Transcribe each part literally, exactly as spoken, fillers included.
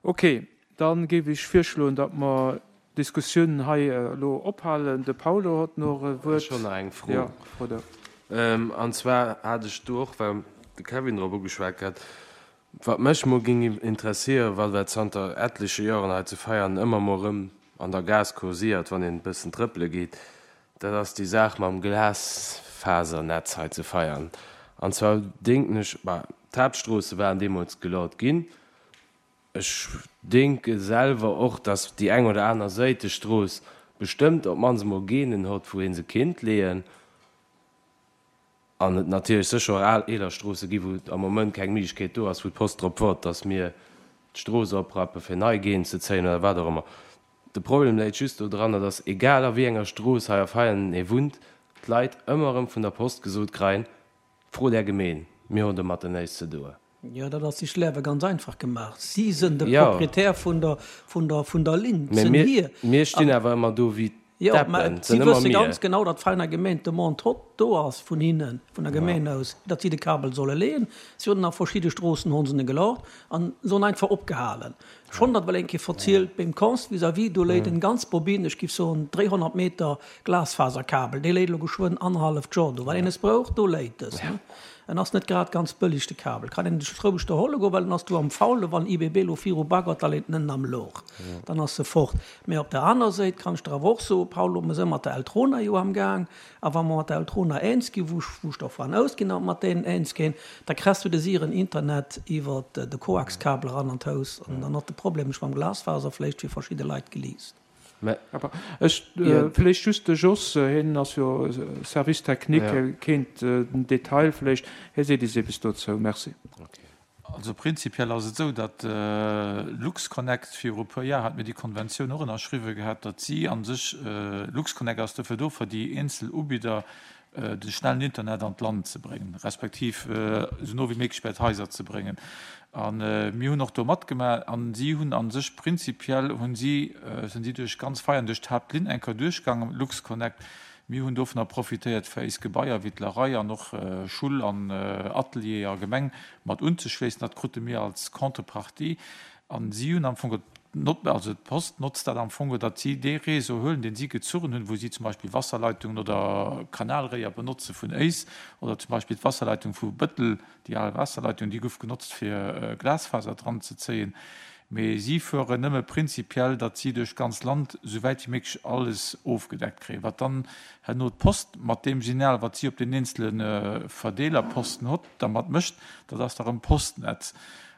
Ok, dann géif ech virschloen, datt mer d'Diskussioun hei elo ophalen. De Paulo hott nach e Wuert. Ech hunn nach eng Fro. Jo, fro der. An zwar hat ech do och, well de Kevin drop ugeschwat hat, wat mech mol géing interesséieren, well dat zanter etleche Joren hei zu Veianen ëmmer mol erëm an der Gaass kursiert, wann een e bëssen trëppele geet, dat ass déi Saach mam Glasfasernetz hei zu Veianen. An zwar denken ech, bah, d'Haaptstroosse waren deemools gelaut ginn. Ech denke selwer och, dass déi eng oder aner Séitestrooss bestëmmt op d'mannst emol Geenen hott, wou ee se kinnt leeën. An et natierlech sécher och al eeler Stroosse gi wou am Moment keng Méiglechkeet do ass, wou d'Post drop woart, dass mir d'Strooss oprappe fir nei Geeën ze zéien oder wat och ëmmer. De Problem läit just do dranner, dass egal a wéi enger Strooss hei a Veianen ee wunnt, d'Leit ëmmer erëm vun der Post gesot kreien, Frot Är Gemeen, mir hunn domatter näischt ze doen. Jo, dat ass sech d'Liewe ganz einfach gemaach. Si sënn de Jo. Proprietär vun der, vun der, vun der Linn, Mä sënn mir, hir. mir stinn awer ëmmer do wéi Jo, mä d'Deppen, et si sënn ëmmer wësse mir. ganz genau, datt d'Veiner Gemeen d'Demande hott do ass vun hinnen, vun der Ja. Gemeen aus, datt si de Kabel solle leeën. Si hunn en a verschidde Stroossen honn se en gelaucht an se hunn einfach opgehalen. Ech hunn dat well eng Kéier verzielt, beim Cons vis-à-vis, do léit en ganz Bobine, ech giff soen dréihonnert Meter Glasfaserkabel, dee léit elo geschwënn annerhalleft Joer do. Wann een es brouch, do léit es. En ass net grad ganz bëlleg de Kabel. Kann een sech roueg do holle goen, well en ass do am Faulen. Wann I B B lo viru baggert, da leet en ënnen am Louch, dann ass e fort. Mä op der aner Séit kann ech der awer och soen, Paolo, mer si mat der Eltrona jo am Gaang, a wa mer mat der Eltrona eens ginn, wou ech wou ech dervun ausginn, datt mer mat deenen eens ginn, da kriss du de siren Internet iwwer de Koaxkabel eran an d'Haus an dann ass de Problem mam Glasfaser vläicht fir verschidde Leit geliist. Mä Awer ech, jo. vläicht just de Jos, hien ass jo Service technique, Ja. hie kéint den Detail vläicht, hie seet is eppes dozou. Merci. Okay. Also prinzipiell ass et esou, datt LuxConnect viru e puer Jar hat mir déi Konventioun och ënnerschriwwe gehat, datt si a sech, LuxConnect ass dofir do, fir déi eenzel Ubidder de schnellen Internet an d'Land ze bréngen, respektiv esou no wéi méiglech bei d'Haiser ze bréngen. A mir hunn och do matgemaach a si hunn a sech prinzipiell hunn si, sinn si duerch ganz Veianen, duerch d'Haaptlinn eng Kéier duerchgaangen, LuxConnect. Mir hunn dovunner profitéiert, fir éis Gebaier wéi d'Lerei an och Schull an Atelier a Gemeng mat unzeschléissen. Dat krute mir als Contrepartie. A si hunn am Fong, also d'Post notzt dat am Fong, datt si dee Réseau huelen, deen si gezuchen hunn, wou si zum Beispill Wasserleitungen oder Kanalréier benotze vun éis oder zum Beispill d'Wasserleitung vu Bëttel, déi al Waasserleitung, déi gouf genotzt fir Glasfaser dran ze zéien. Mee si fueren nëmme prinzipiell, datt si duerch d'ganz Land esou wäit wéi méiglech alles ofgedeckt kréien. Wat dann herno d'Post mat deem Signal, wat si op den eenzele Verdeelerposten hott, dermat mécht, dat ass da rëm Postnetz.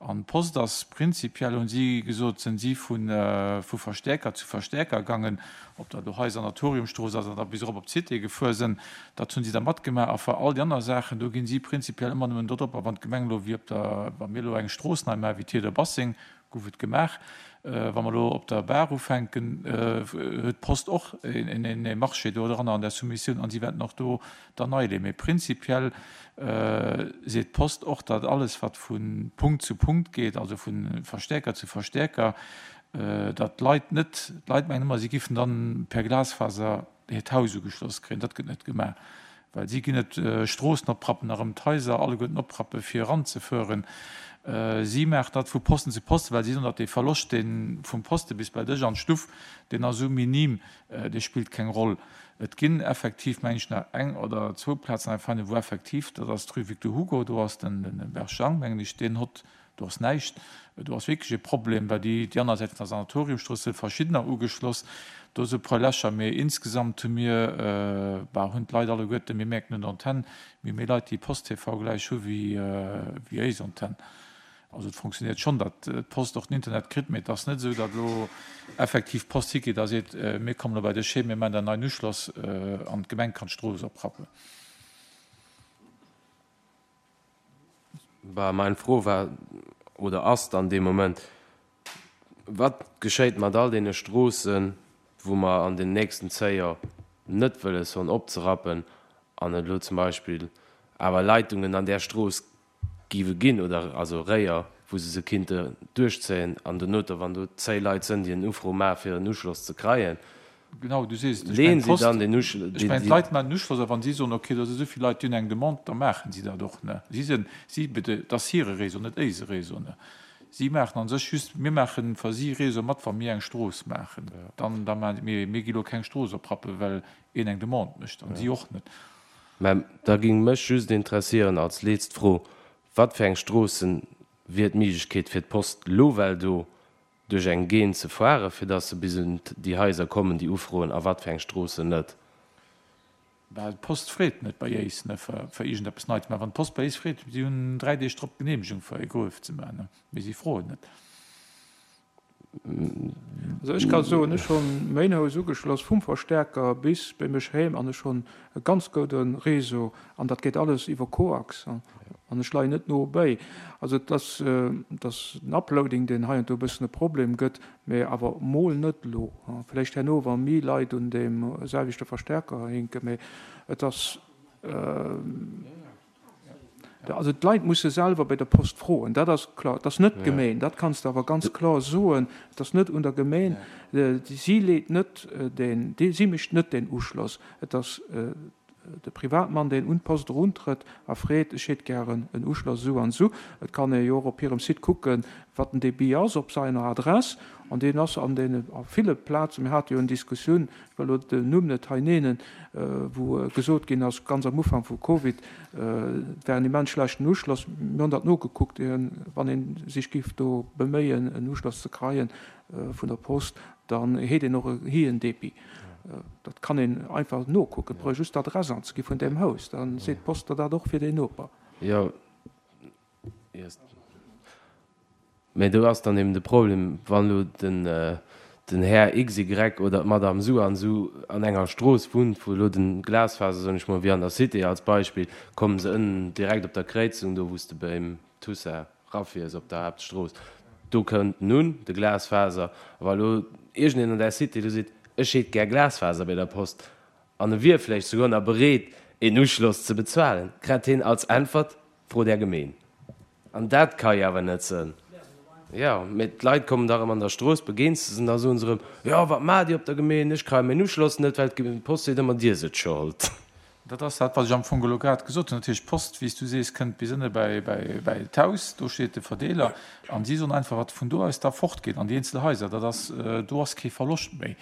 An d'Post ass prinzipiell, hunn si gesot, sinn si vu vu Verstäerker zu Verstäerker gaangen, ob dat elo hei Sanatoriumstrooss ass oder bis erop op d'Cité gefuer sinn, dat hunn si da matgemaach. A fir all déi aner Saachen, do ginn si prinzipiell ëmmer nëmmen do drop. A wann d'Gemeng elo wéi op der, wa mir elo eng Strooss nei maachen, wéi Theodor Bassing, gouf et gemaach, wa mer elo op der Bar ufänken, huet d'Post och een Marché do dran an der Soumissioun an si wäerten och do dann nei leeën. Mee prinzipiell seet d'Post och, datt alles, wat vu Punkt zu Punkt geet, also vu Verstäerker zu Verstäerker, datt d'Leit net, d'Leit mengen ëmmer, si giffen dann per Glasfaser hiert Haus ugeschloss kréien. Dat gëtt net gemaach, well si ginn net Stroossen opprappen a rëm d'Haiser alleguerten opprappe fir eranzefueren. Si maachen dat vu Posten zu Posten, well si soen, datt dee Verloscht, dee vum Poste bis bei dech an d'Stuff, deen ass esou minim, dee spillt keng Roll. Et ginn effektiv, meng ech, nach eng oder zwou Plazen hei fannen, wou effektiv, dat ass d'Rue Victor Hugo, do ass den Berjang, mengen ech, deen hott, do ass näischt. Do ass wierklech e Problem, well déi, déi aner Säit vun der Sanatoriumstrooss si verschiddener ugeschloss. Do si e puer Lächer, mee insgesamt hu mir, bah, hunn d'Leit alleguerten, mir mierken un der Antenn, mir hu méi Leit, déi Post-T V gläich hu wéi, wéi éis Antenn. Also et fonctionnéiert schonn, datt d'Post och den Internet kritt, mee et ass net esou, datt elo effektiv d'Post higeet a seet, mir kommen elo bei dech heem, mir maachen der en neien Uschloss an d'Gemeng kann d'Strooss oprappen. Bah, mein Fro war oder ass dann dee Moment, Wat geschéit mat all deene Stroossen, wou mer an den nächsten zéi Joer net wëlles hunn opzerappen an et elo zum Beispill awer Leitungen an där Strooss géiwe ginn oder also Réier, wou se se kinnte duerchzéien an donoter, wann do zéi Leit sënn, déi en Ufro maache fir en Uschloss ze kreien, Genau, du sees et. Ech leeën mengen, si d'Post, dann den Uschl-, ech déi, mengen, déi. d'Leit maachen en Uschloss a wann si soen, okay, do si esou vill Leit, déi hunn eng Demande, da maachen si dat och, ne. Si sinn, si, et ass hire Réseau, net éise Réseau, ne. Si maachen an sech just, mir maachen fir si Réseau mat, wa mir eng Strooss maachen. Dann, da maachen, mee mir gi lo keng Strooss oprappen, well een eng Demande mécht, an si och net. Mä da géing mech just interessieren als leetzt Fro, Wat fir eng Stroossen wier d'Méiglechkeet fir d'Post lo well do duerch eng Geen ze fuere fir datt se bis un déi Haiser kommen déi ufroen a wat fir eng Stroossen net? Well d'Post freet net bei éis ne fir fir iergendeppes nei ze maachen. Wann d'Post bei éis freet, si hunn dräi Deeg drop d'Geneemegung fir e Gruef ze maachen, mee si froen net. Also ech ka soen, ech hunn méin Haus ugeschloss vum Verstärker bis bei mech heem an ech hunn e ganz goude Réseau an dat geet alles iwwer Koax an ech leien net no béi. Also et ass, et ass den Uploading deen hei an do e bëssen e Problem gëtt, mä awer mol net elo, vläicht herno wa méi Leit un deem selwechte Verstärker hinken, mä et ass, Also d'Leit musse selwer bei der Post froen, dat ass kloer. Et ass net d'Gemeen, dat kanns de awer ganz kloer soen. Et ass net un der Gemeen, si leet net deen, si mécht net deen Uschloss. Et ass de Privatmann, deen un d'Post eruntrëtt a freet, ech hätt gären en Uschloss esou an esou. Et kann ee jo och op hirem Site kucken, wat den Débit ass op seiner Adress. An deen ass an deene, a ville Plazen, mir hate jo en Diskussioun, ech wëll elo den Numm net hei neenen, wou gesot ginn ass, ganz am Ufank vu Covid, et wär en immens schlechten Uschloss. Mir hunn dat nogekuckt, wann ee sech géif do beméien, en Uschloss ze kreien vun der Post, dann hätt een och e héijen Débit. Dat kann een einfach nokucken, et brauch ee just d'Adress anzegi vun deem Haus, da seet d'Post der dat och fir deen Noper. Jo. Mä do ass dann eben de Problem, wann elo den, den Här XY oder d'Madame Sou an Sou an enger Strooss wunnt, wou elo de Glasfaser, soen ech mol, wéi an der Cité als Beispill, kommen se ënnen direkt op der Kréizung, do wou s de beim Toussaint rafiers op der Haaptstrooss, do kënnt en un, de Glasfaser. A wa elo iergendeen an där Cité do seet, ech hétt gär Glasfaser bei der Post, an e wier vläicht souguer nach bereet, een Uschloss ze bezuelen, krätt hien als Äntwert, Frot Är Gemeen. An dat ka jo awer net sënn. Jo, mee d'Leit kommen da erëm an der Strooss, begeens de se, an da soen se erëm, Jo, wat maacht Dir op der Gemeen? Ech kréie mäin Uschloss net, well d'Post seet ëmmer, Dir sidd Schold. Dat ass dat, wat ech am Fong elo grad gesot hunn. Dat heescht, d'Post, wéi s du sees, kënnt bis ënne bäi d'Haus, do steet de Verdeeler, an si soen einfach, wat vun do aus da fortgeet an déi eenzel Haiser, dat ass, do ass kee Verloscht méi.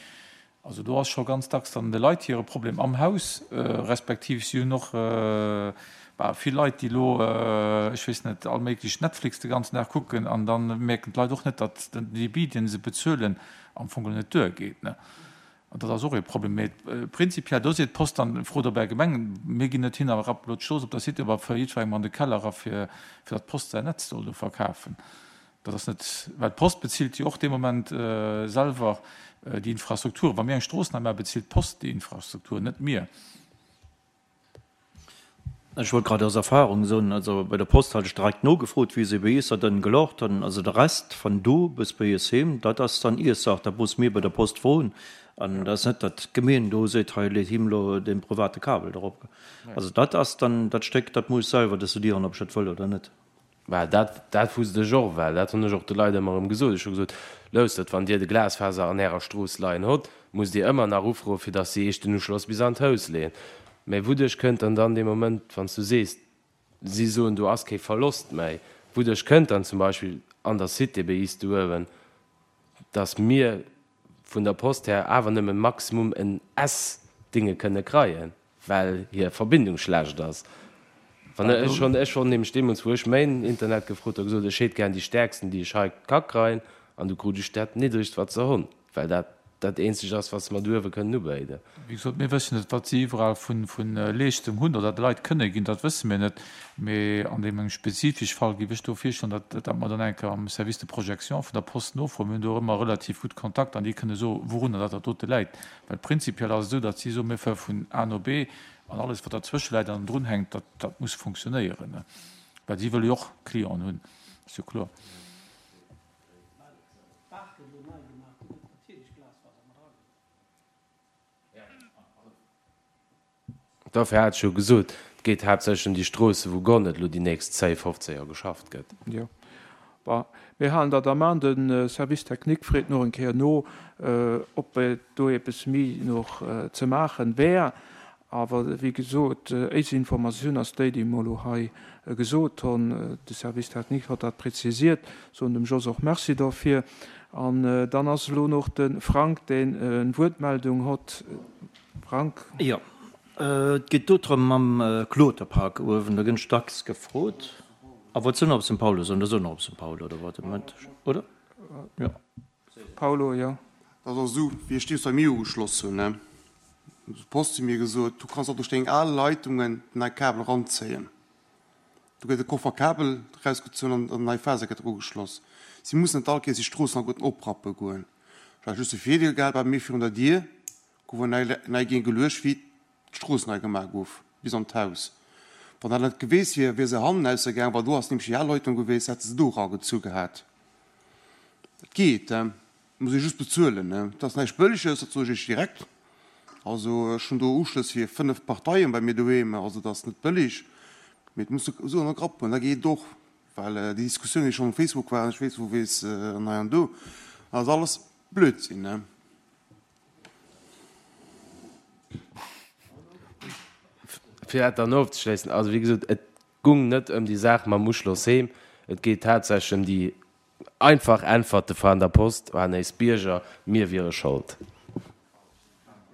Also do ass scho ganz dacks dann de Leit hire Problem am Haus, respektiv si hunn och vill Leit, déi elo, ech weess net, all méiglech Netflix de ganzen Dag kucken an da mierken d'Leit och net, datt den Débit, dee se bezuelen, am Fong geholl net duergeet. An dat ass och ee Problem. Mee prinzipiell, do seet d'Post dann, frot op Är Gemeng, mir ginn net hin a rappen elo d'Strooss op der Cité op a fëlle jiddwerengem an de Keller era fir datt d'Post säin Netz soll do verkafen. Dat ass net, well d'Post bezilt jo och dee Moment selwer déi Infrastruktur. Wa mir eng Strooss nei maachen, bezilt d'Post déi Infrastruktur, net mir. Ech wollt grad aus Erfahrung soen, also bei der Post hat ech direkt nogefrot, wéi se bei iis dat dann gelocht hunn. Also de Rest van do bis bei iis heem, dat ass dann iis Saach, dat muss mir bei der Post froen. An dat ass net, datt d'Gemeen do seet, hei leet him elo dee private Kabel dorop. Also dat ass dann dat Stéck, dat muss ech selwer decidieren, ob ech dat wëll oder net. Well dat, dat wusst ech och, well dat hunn ech och de Leit ëmmer erëm gesot. Ech hu gesot, Lousstert, wann Dir de Glasfaser an Ärer Strooss leien hott, musst Dir ëmmer nach ufroen, fir datt si Iech den Uschloss bis an d'Haus leeën. Mä wouduerch kënnt dann dann dee Moment, wann s du sees, si soen, do ass kee Verlost méi, wouduerch kënnt dann zum Beispill an der Cité bei iis do uewen, datt mir vun der Post här awer nëmme maximum en S-Dinge kënne kreien? Well hir Verbindung schlecht ass. Wann ech schonn, ech wor nämlech deemools, wou ech main Internet gefrot hu, gesot, ech hétt gären déi stäerksten, déi ech hei ka kreien, an du krut ech dat niddregst, wat se honn, well dat dat eenzegt ass, wat se mer do uewe kënnen ubéiden. Wéi gesot, mir wëssen net, wat si iwwerall vu vu Leeschtung hunn oder de Leit kënne ginn, dat wësse mir net. Mee an deem engem spezifesch Fall géif ech do virschloen, datt datt mer dann eng Kéier am Service de projection vun der Post nofroen. Mir hunn do och ëmmer relativ gutt Kontakt an déi kënne soen, wourunner dat dat dote läit. Well prinzipiell ass et esou, datt si soen, mir fuere vun A no B an alles, wat derzwësche läit an drun hänkt, dat, dat muss funktionéieren. Well si wëlle jo och Clienten hunn, ass jo kloer. Dofir hat ech jo gesot, et geet haaptsächlech ëm déi Stroosse wou guer net elo déi nächst zéi, fofzéng Joer geschafft gëtt. Jo, bon, mir halen dat am An. De Service technique freet nach eng Kéier no, ob do eppes méi nach ze maachen wär. Awer wéi gesot, éis Informatioun ass déi, déi mer elo hei gesot hunn. De Service technique hott dat präzisiert. Soen dem Jos och Merci dofir. An dann ass elo nach de Frank, deen en Wuertmeldung hott. Frank? Jo, et geet do drëm mam Kloterpark uewen, do ginn ech dacks gefrot. A wat sinn op São Paulo, soen der soen op São Paulo oder wat, oder? Jo. Paulo, jo. Dat ass esou, wéi ech deemools bei mir ugeschloss hunn, ne. Huet d'Post zu mir gesot, du kanns och duerch deng al Leitungen den nei Kabel eranzéien. Do gëtt e Koffer Kabel erausgezunn an an nei Faser gëtt ugeschloss. Si mussen net all Kéiers déi Stroossen alleguerten oprappe goen. Ech hat just de Virdeel gehat, bei mir virun der Dier gouf en nei nei Géing geluecht, wéi d'Strooss nei gemaach gouf, bis an d'Haus. Wann dat net geweest wier, wier se hannen aussergaang, well do ass nämlech déi al Leitung geweest, hätt se se do eragezu gehat. Dat geet, et muss ee just bezuelen. Et ass näischt Bëlleges, dat soe ech Iech direkt. Also ech hunn do Uschlëss fir fënnef Parteien bei mir doheem, also dat ass net bëlleg, mee et muss esou an de Grapp goen, da geet et och, well déi Diskussioun, déi schonn um Facebook waren, ech weess wou weess an hei an do, dat ass alles Blödsinn. Fir dat dann ofzeschléissen, also wéi gesot, et gung net ëm déi Saach mam Uschloss heem, et geet tatsächlech ëm déi einfach Äntwerte van der Post, An éis Bierger, mir wiere Schold.